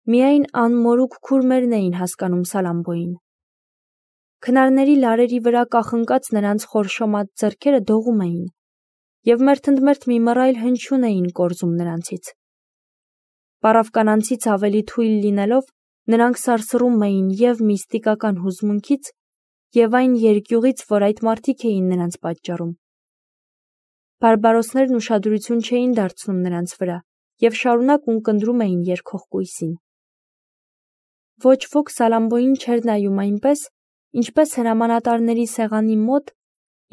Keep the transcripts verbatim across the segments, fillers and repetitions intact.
Միայն անմորուք քուրմերն էին հասկանում Սալամբոյին։ Քնարների լարերի վրա կախնկած նրանց խորշոմած ձեռքերը դողում էին և մերթընդմերթ մի մռայլ հնչյուն էին կորզում նրանցից։ Պարավ կանանցից ավելի թույլ լինելով, նրանք սարսռում էին և միստիկական հուզմունքից, և այն երկյուղից, որ այդ մարդիկ էին նրանց պատճառում։ Բարբարոսներն ուշադրություն չէին դարձնում նրանց վրա և շարունակ ունկնդրում էին երգող կույսին։ Ոչ ոք Սալամբոյին չէր նայում այնպես, ինչպես հրամանատարների սեղանի մոտ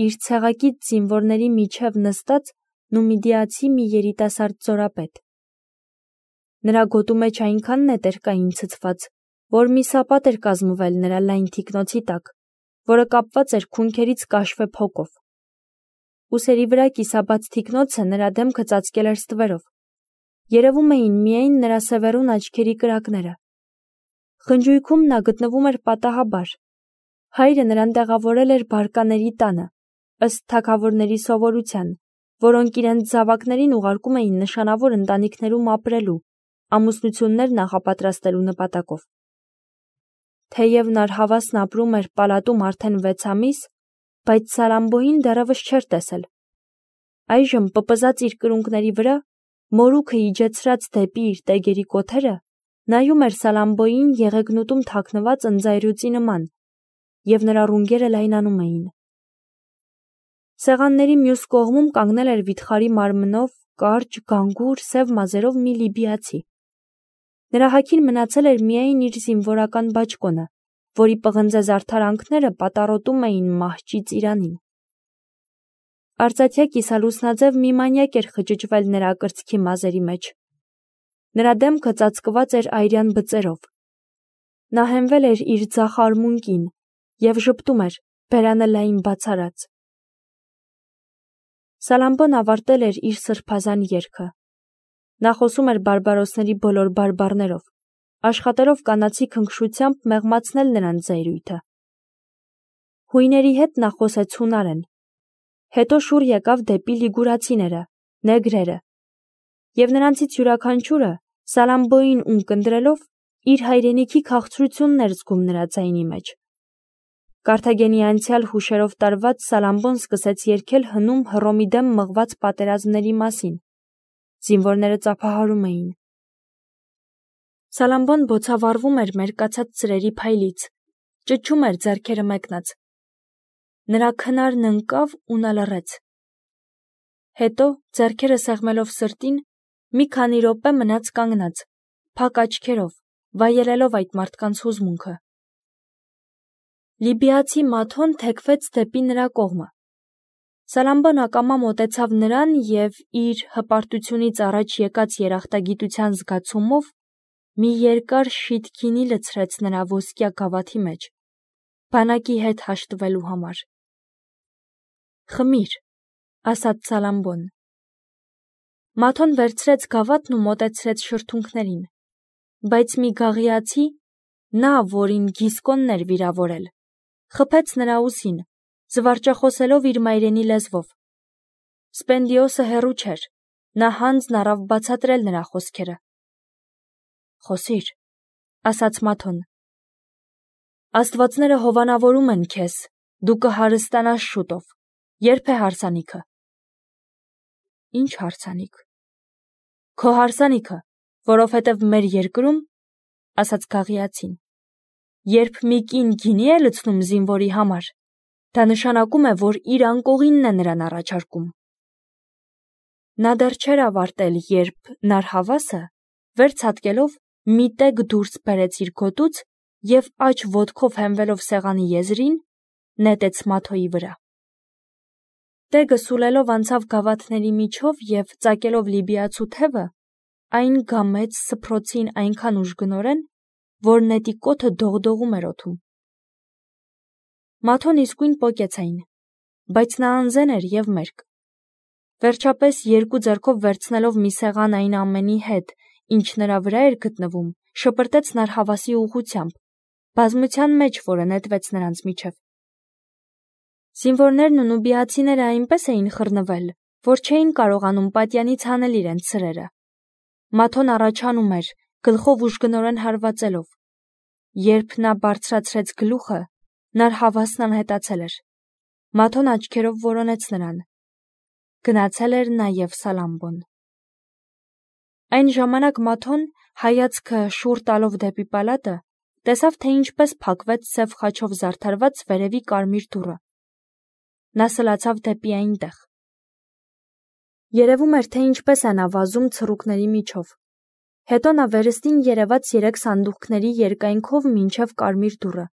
իր ցեղակից զինվորների միջև նստած նումիդիացի մի երիտասարդ զորապետ։ Նրա գոտու մեջ այնքան նետեր կային ցցված, որ մի սապատ էր կազմվել նրա լայն թիկնոցի տակ, որը կապված էր քունքերից կաշվե փոկով։ Ուսերի վրա կիսաբաց թիկնոցը նրա դեմքը ծածկել էր ստվերով։ Երևում էին միայն նրա սևեռուն աչքերի կրակները։ Խնջույքում նա գտնվում էր պատահաբար։ Հայրը նրան տեղավորել էր բարկաների տանը, ըստ թագավորների սովորության, որոնք իրենց զավակներին ուղարկում էին նշանավոր ընտանիքներում ապրելու, ամուսնություններ նախապատրաստելու նպատակով։ Թեև Նարհավասն ապրում էր պալատում արդեն վեց ամիս, բայց Սալամբոյին դեռևս չէր տեսել։ Այժմ պպզած իր կրունկների վրա, մորուքը իջեցրած դեպի իր տեգերի կոթերը, նայում էր Սալամբոյին եղեգնուտում թաքնված ընձայրուծի նման, և նրա ռունգերը լայնանում էին։ Սեղանների մյուս կողմում կանգնել էր վիթխարի մարմնով, կարճ, գանգուր, սև մազերով մի լիբիացի։ Նրա հագին մնացել էր միայն իր զինվորական բաճկոնը, որի պղնձե զարդարանքները պատառոտում էին մահճի ծիրանին։ Արծաթյա կիսալուսնաձև մի մանյակ էր խճճվել նրա կրծքի մազերի մեջ։ Նրա դեմքը ծածկված էր այրյան բծերով։ Նա հենվել էր իր ձախ արմունկին և ժպտում էր, բերանը լայն բացարած։ Սալամբոն ավարտել էր իր սրբազան երգը։ Նա խոսում էր բարբարոսների բոլոր բարբառներով, աշխատելով կանացի քնքշությամբ մեղմացնել նրանց զայրույթը։ Հույների հետ նա խոսեց հունարեն, հետո շուռ եկավ դեպի լիգուրացիները, նեգրերը, և նրանցից յուրաքանչյուրը, Սալամբոյին ունկնդրելով, իր հայրենիքի քաղցրությունն էր զգում նրա ձայնի մեջ։ Կարթագենի անցյալ հուշերով տարված Սալամբոն սկսեց երգել հնում Հռոմի դեմ մղված պատերազմների մասին։ Զինվորները ծափահարում էին։ Սալամբոն բոցավառվում էր մերկացած ծրերի փայլից, ճչում էր ձեռքերը մեկնած։ Նրա քնարն ընկավ ու նա լռեց։ Հետո, ձեռքերը սեղմելով սրտին, մի քանի րոպե մնաց կանգնած, փակ աչքերով, վայելելով այդ մարդկանց հուզմունքը։ Լիբիացի Մաթոն թեքվեց դեպի նրա կողմը։ Սալամբոն ակամա մոտեցավ նրան և իր հպարտությունից առաջ եկած երախտագիտության զգացումով մի երկար շիթ գինի լցրեց նրա ոսկյա գավաթի մեջ, բանակի հետ հաշտվելու համար։ «Խմիր», ասաց Սալամբոն։ Մաթոն վերցրեց գավաթն ու մոտեցրեց շրթունքներին, բայց մի գաղիացի, նա, որին Գիսկոնն էր վիրավորել, խփեց նրա ուսին, զվարճախոսելով իր մայրենի լեզվով։ Սպենդիոսը հեռու չէր, նա հանձն առավ բացատրել նրա խոսքերը։ «Խոսիր», ասաց Մաթոն։ «Աստվածները հովանավորում են քեզ, դու կհարստանաս շուտով, ե՞րբ է հարսանիքը»։ «Ինչ հարսանիք»։ «Քո հարսանիքը, որովհետև մեր երկրում, ասաց գաղիացին, երբ մի կին գինի է լցնում զինվորի համար, դա նշանակում է, որ իր անկողինն է նրան առաջարկում»։ Նա դեռ չէր ավարտել, երբ Նարհավասը, վեր ցատկելով, մի տեգ դուրս բերեց իր գոտուց և աջ ոտքով հենվելով սեղանի եզրին, նետեց Մաթոյի վրա։ Տեգը սուլելով անցավ գավաթների միջով և ծակելով լիբիացու թևը, այն գամեց սփռոցին այնքան ուժգնորեն, որ նետի կոթը դողդողում էր օդում։ Մաթոն իսկույն պոկեց այն, բայց նա անզեն էր և մերկ։ Վերջապես երկու ձեռքով վերցնելով մի սեղան այն ամենի հետ, ինչ նրա վրա էր գտնվում, շպրտեց Նարհավասի ուղղությամբ, բազմության մեջ, որը նետվեց նրանց միջև։ Զինվորներն ու նուբիացիները այնպես էին խռնվել, որ չէին կարողանում պատյանից հանել իրենց սրերը։ Մաթոն առաջանում էր, գլխով ուժգնորեն հարվածելով։ Երբ նա բարձրացրեց գլուխը, նար հավասն անհետացել էր։ Մաթոն աչքերով որոնեց նրան։ Գնացել էր նաև Սալամբոն։ Այն ժամանակ Մաթոն, հայացքը շուռ տալով դեպի պալատը, տեսավ, թե ինչպես փակվեց սև խաչով զարդարված վերևի կարմիր դուռը։ Նա սլացավ դեպի այնտեղ։ Երևում էր, թե ինչպես է նա վազում ցռուկների միջով։ Հետո նա վերստին երևաց երեք սանդուղքների երկայնքով մինչև կարմիր դուռը,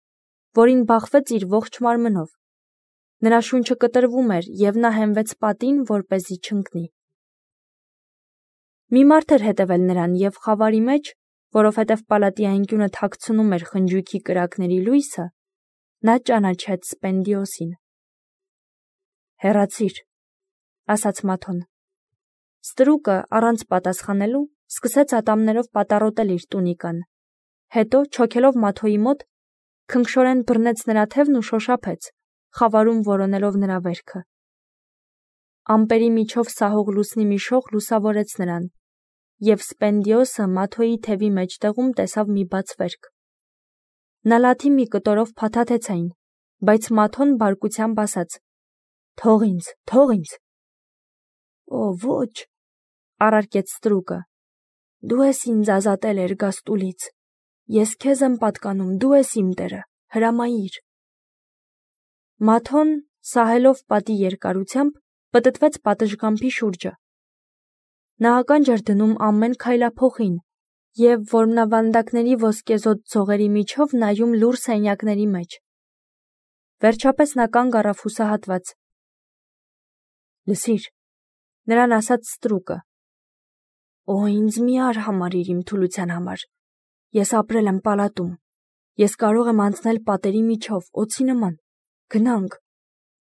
որին բախվեց իր ողջ մարմնով։ Նրա շունչը կտրվում էր, և նա հենվեց պատին, որպեսզի չընկնի։ Մի մարդ էր հետևել նրան, և խավարի մեջ, որովհետև պալատի անկյունը թաքցնում էր խնջույքի կրակների լույսը, նա ճանաչեց Սպենդիոսին։ «Հեռացիր», ասաց Մաթոն։ Ստրուկը, առանց պատասխանելու, սկսեց ատամներով պատառոտել իր տունիկան, հետո, չոքելով Մաթոյի մոտ, քնքշորեն բռնեց նրա թևն ու շոշափեց, խավարում որոնելով նրա վերքը։ Ամպերի միջով սահող լուսնի մի շող լուսավորեց նրան, և Սպենդիոսը Մաթոյի թևի մեջտեղում տեսավ մի բաց վերք։ Նա լաթի մի կտորով փաթաթեց այն, բայց Մաթոն բարկությամբ ասաց. «Թող ինձ, թող ինձ»։ «Օ, ոչ», առարկեց ստրուկը, «դու ես ինձ ազատել էրգաստուլից, ես քեզ եմ պատկանում, դու ես իմ տերը, հրամայիր»։ Մաթոն, սահելով պատի երկարությամբ, պտտվեց պատշգամբի շուրջը։ Նա ականջ էր դնում ամեն քայլափոխին և որմնավանդակների ոսկեզօծ ձողերի միջով նայում լուռ սենյակների մեջ։ Վերջապես նա կանգ առավ հուսահատված։ «Լսիր», նրան ասաց ստրուկը, «Օ, ինձ մի արհամարհիր իմ թուլության համար, ես ապրել եմ պալատում, ես կարող եմ անցնել պատերի միջով, օձի նման, գնանք,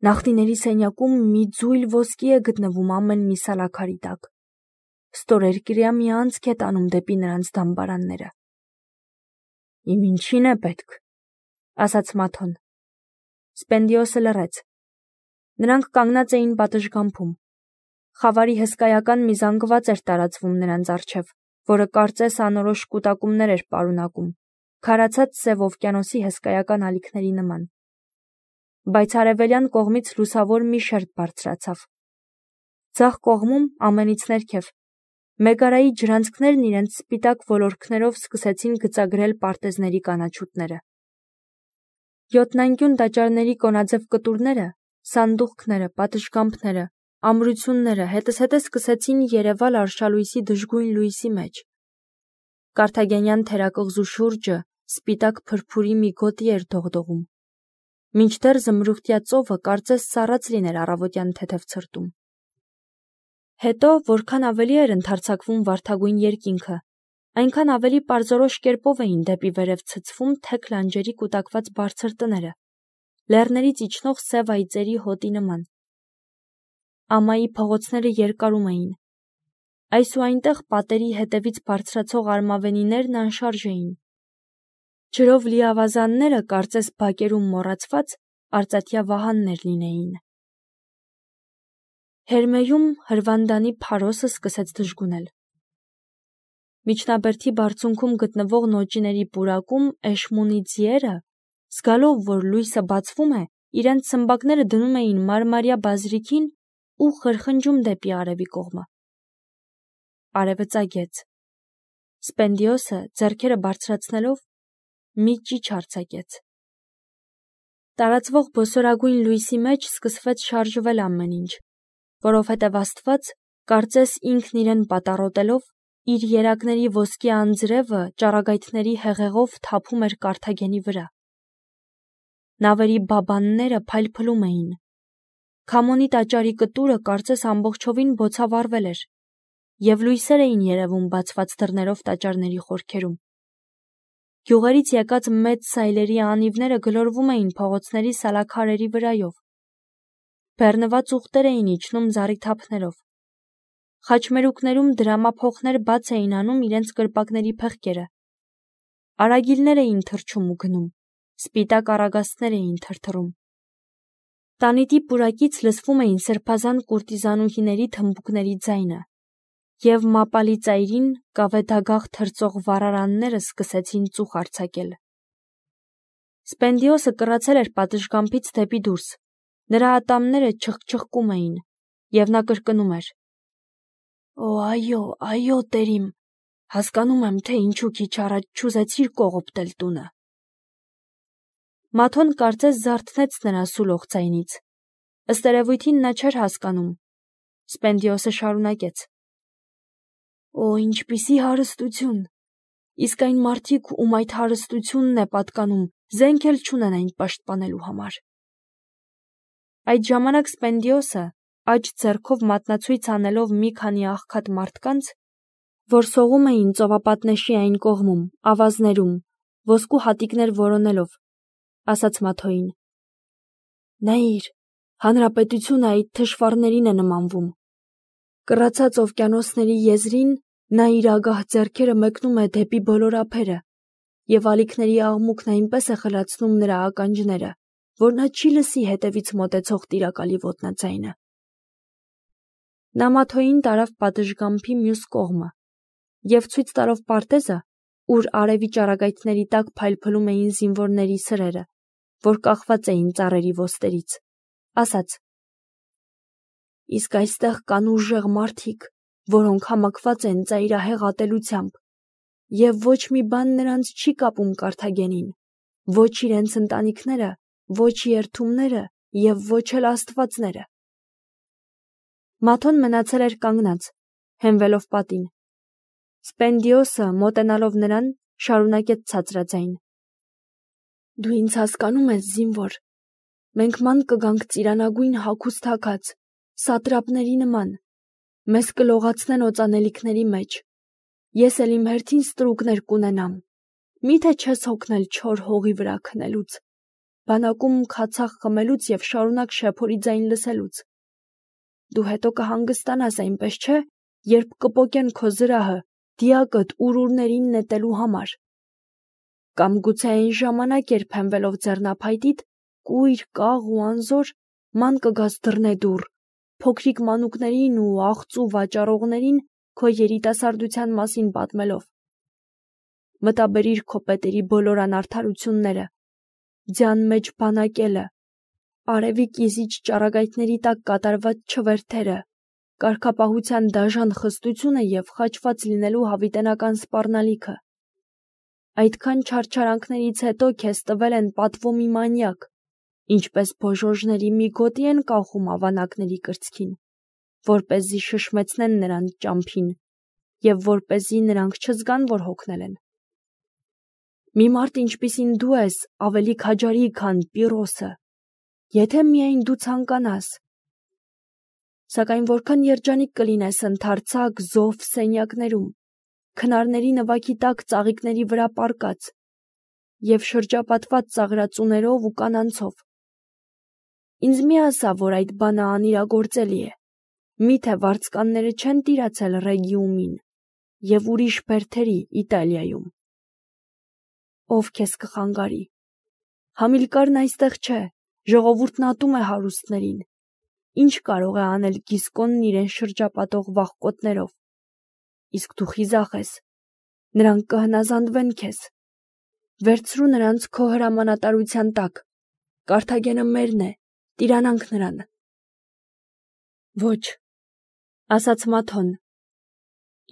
նախնիների սենյակում մի ձույլ ոսկի է գտնվում ամեն մի սալաքարի տակ, ստորերկրյա մի անցք է տանում դեպի նրանց դամբարանները»։ «Իմ ինչին է պետք», ասաց Մաթոն։ Սպենդիոսը լռեց։ Նրանք կանգնած էին պատշգամբում։ Խավարի հսկայական մի զանգված էր տարածվում նրանց առջև, որը կարծես անորոշ կուտակումներ էր պարունակում, քարացած Սև օվկիանոսի հսկայական ալիքների նման։ Բայց արևելյան կողմից լուսավոր մի շերտ բարձրացավ։ Ձախ կողմում, ամենից ներքև, Մեգարայի ջրանցքներն իրենց սպիտակ ոլորքներով սկսեցին գծագրել պարտեզների կանաչուտները։ Յոթնանկյուն տաճարների կոնաձև կտուրները, սանդուղքները, պատշգամբները, ամրությունները հետզհետե սկսեցին երևալ արշալույսի դժգույն լույսի մեջ։ Կարթագենյան թերակղզու շուրջը սպիտակ փրփուրի մի գոտի էր դողդողում, մինչդեռ զմրուխտյա ծովը կարծես սառած լիներ առավոտյան թեթև ցրտում։ Հետո, որքան ավելի էր ընդարձակվում վարդագույն երկինքը, այնքան ավելի պարզորոշ կերպով էին դեպի վերև ցցվում թեք լանջերի կուտակված բարձր տները, լեռներից իջնող սև այծերի հոտի նման։ Ամայի փողոցները երկարում էին։ Այս ու այնտեղ պատերի հետևից բարձրացող արմավենիներն անշարժ էին։ Ջրով լի ավազանները կարծես բակերում մոռացված արծաթյա վահաններ լինեին։ Հերմեյում հրվանդանի փարոսը սկսեց դժգունել։ Միջնաբերդի բարձունքում գտնվող նոճիների պուրակում Էշմունի ձիերը, զգալով, որ լույսը բացվում է, իրենց սմբակները դնում էին մարմարյա բազրիքին ու խրխնջում դեպի արևի կողմը։ Արևը ծագեց։ Սպենդիոսը, ձեռքերը բարձրացնելով, մի ճիչ արձակեց։ Տարածվող բոսորագույն լույսի մեջ սկսվեց շարժվել ամեն ինչ, որովհետև Աստված, կարծես ինքն իրեն պատառոտելով, իր երակների ոսկի անձրևը ճառագայթների հեղեղով թափում էր Կարթագենի վրա։ Նավերի բաբանները փայլփլում էին։ Քամոնի տաճարի կտուրը կարծես ամբողջովին բոցավառվել էր, և լույսեր էին երևում բացված դռներով տաճարների խորքերում։ Գյուղերից եկած մեծ սայլերի անիվները գլորվում էին փողոցների սալաքարերի վրայով։ Բեռնված ուղտեր էին իջնում զառիթափներով։ Խաչմերուկներում դրամափոխներ բաց էին անում իրենց կրպակների փեղկերը։ Արագիլներ էին թռչում ու գնում, սպիտակ առագաստներ էին թրթռում։ Տանիտի պուրակից լսվում էին սրբազան կուրտիզանուհիների թմբուկների ձայնը։ և մապալի ծայրին կավետագաղ թրծող վառարանները սկսեցին ծուխ արձակել։ Սպենդիոսը կռացել էր պատշգամբից դեպի դուրս, նրա ատամները չխչխկում էին, և նա կրկնում էր. «Օ, այո, այո, տերիմ, հասկանում եմ, թե ինչու քիչ առաջ չուզեցիր կողոպտել տունը»։ Մաթոն կարծես զարթնեց նրա սուլող ձայնից։ Ըստ երևույթին նա չէր հասկանում։ Սպենդիոսը շարունակեց. «Օ, ինչպիսի հարստություն, իսկ այն մարդիկ, ում այդ հարստությունն է պատկանում, զենք էլ չունեն այն պաշտպանելու համար»։ Այդ ժամանակ Սպենդիոսը, աջ ձեռքով մատնացույց անելով մի քանի աղքատ մարդկանց, որ սողում էին ծովապատնեշի այն կողմում, ավազներում, ոսկու հատիկներ որոնելով, ասաց Մաթոյին. «Նայիր, հանրապետությունը այդ թշվառներին է նմանվում։ Կռացած օվկիանոսների եզրին նա իր ագահ ձեռքերը մեկնում է դեպի բոլոր ափերը, և ալիքների աղմուկն այնպես է խլացնում նրա ականջները, որ նա չի լսի հետևից մոտեցող տիրակալի ոտնաձայնը»։ Նա Մաթոյին տարավ պատշգամբի մյուս կողմը և ցույց տալով պարտեզը, ուր արևի ճառագայթների տակ փայլփլում էին զինվորների սրերը, որ կախված էին ծառերի ոստերից, ասաց. «Իսկ այստեղ կան ուժեղ մարդիկ, որոնք համակված են ծայրահեղ ատելությամբ, և ոչ մի բան նրանց չի կապում Կարթագենին, ոչ իրենց ընտանիքները, ոչ երդումները և ոչ էլ աստվածները»։ Մաթոն մնացել էր կանգնած, հենվելով պատին։ Սպենդիոսը, մոտենալով նրան, շարունակեց ցածրաձայն. «Դու ինձ հասկանում ես, զինվոր, մենք ման կգանք ծիրանագույն հագուստ հագած, սատրապների նման, մեզ կլողացնեն օծանելիքների մեջ, ես էլ իմ հերթին ստրուկներ կունենամ, մի՞թե չես հոգնել չոր հողի վրա քնելուց, բանակում քացախ խմելուց և շարունակ շեփորի ձայն լսելուց։ Դու հետո կհանգստանաս, այնպես չէ, երբ կպոկեն քո զրահը, դիակդ ուրուրներին նետելու համար։ Կամ գուցե այն ժամանակ, երբ հենվելով ձեռնափայտիդ, կույր, կաղ ու անզոր, ման կգաս դռնեդուռ, փոքրիկ մանուկներին ու աղծու վաճառողներին քո երիտասարդության մասին պատմելով։ Մտաբերիր քո պետերի բոլոր անարդարությունները, ձյան մեջ բանակելը, արևի կիզիչ ճառագայթների տակ կատարված չվերթերը, կարգապահության դաժան խստությունը և խաչված լինելու հավիտենական սպառնալիքը։ Այդքան չարչարանքներից հետո քեզ տվել են պատվո մի մանյակ, ինչպես փոժոժների մի գոտի են կախում ավանակների կրծքին, որպեսզի շշմեցնեն նրանց ճամփին և որպեսզի նրանք չզգան, որ հոգնել են։ Մի մարդ, ինչպիսին դու ես, ավելի քաջարի, քան Պիրոսը, եթե միայն դու ցանկանաս։ Սակայն որքան երջանիկ կլինես ընդարձակ զով սենյակներում, քնարների նվագի տակ ծաղիկների վրա պառկած և շրջապատված ծաղրածուներով ու կանանցով։ Ինձ մի ասա, որ այդ բանը անիրագործելի է, միթե վարձկանները չեն տիրացել Ռեգիումին և ուրիշ բերդերի Իտալիայում։ Ով քեզ կխանգարի։ Համիլկարն այստեղ չէ, ժողովուրդն ատում է հարուստներին։ Ինչ կարող է անել Գիսկոնն իրեն շրջապատող վախկոտներով։ Իսկ դու խիզախ ես, նրանք կհնազանդվեն քեզ։ Վերցրու նրանց քո հրամանատարության տակ, Կարթագենը մերն է, տիրանանք նրան։ Ոչ, ասաց Մաթոն,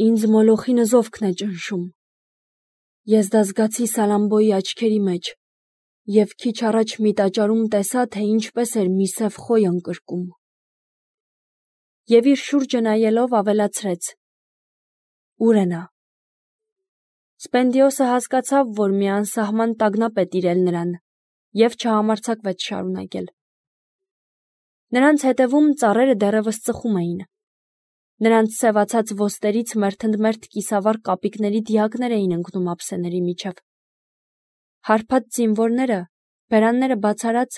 ինձ Մոլոխի նզովքն է ճնշում։ Ես դա զգացի Սալամբոյի աչքերի մեջ և քիչ առաջ մի տաճարում տեսա, թե ինչպես էր մի սև խոյ ընկրկում։ Եվ իր շուրջը նայելով ավելացրեց. Ուր է նա։ Սպենդիոսը հասկացավ, որ մի անսահման տագնապ է տիրել նրան, և չհամարձակվեց շարունակել։ Նրանց հետևում ծառերը դեռևս ծխում էին։ Նրանց սևացած ոստերից մերթընդմերթ կիսավառ կապիկների դիակներ էին ընկնում ափսեների միջև։ Հարբած զինվորները, բերանները բացարած,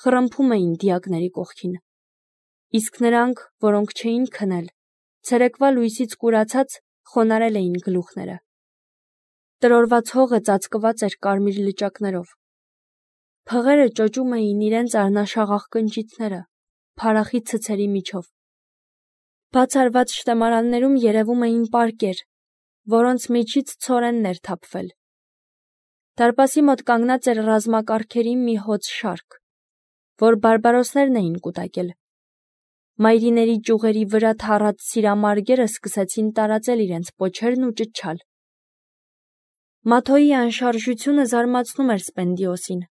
խռմփում էին դիակների կողքին։ Իսկ նրանք, որոնք չէին քնել, ցերեկվա լույսից կուրացած, խոնարհել էին գլուխները։ Տրորված հողը ծածկված էր կարմիր լճակներով։ Փղերը ճոճում էին իրենց առնաշաղախ կնճիթները, փարախի ցցերի միջով։ Բացառված շտեմարաններում երևում էին պարկեր, որոնց միջից ցորենն էր թափվել։ Դարպասի մոտ կանգնած էր ռազմակարգերի մի հոծ շարք, որ բարբարոսներն էին կուտակել։ Մայրիների ճյուղերի վրա թառած սիրամարգերը սկսեցին տարածել իրենց պոչերն ու ճչալ։ Մաթոյի անշարժությունը զարմացնում էր Սպենդիոսին։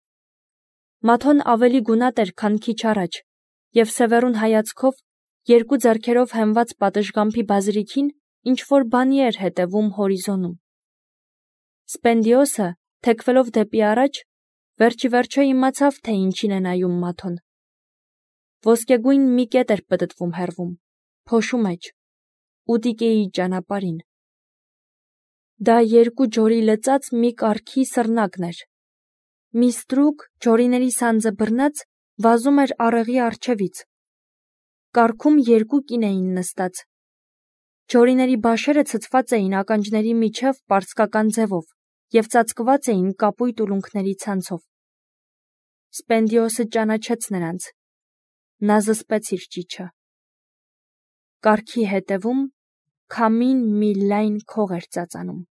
Մաթոն ավելի գունատ էր, քան քիչ առաջ, և սևեռուն հայացքով, երկու ձեռքերով հենված պատշգամբի բազրիքին, ինչ-որ բանի էր հետևում հորիզոնում։ Սպենդիոսը, թեքվելով դեպի առաջ, վերջիվերջո իմացավ, թե ինչին է նայում Մաթոն։ Ոսկեգույն մի կետ էր պտտվում հեռվում, փոշու մեջ, Ուտիկեի ճանապարհին։ Դա երկու ջորի լծած մի կառքի սռնակն էր։ Մի ստրուկ, ջորիների սանձը բռնած, վազում էր առեղի առջևից։ Կառքում երկու կին էին նստած։ Ջորիների բաշերը ցցված էին ականջների միջև պարսկական ձևով և ծածկված էին կապույտ ուլունքների ցանցով։ Սպենդիոսը ճանաչեց նրանց։ Նա զսպեց իր ճիչը։ Կառքի հետևում քամին մի լայն քող էր ծածանում։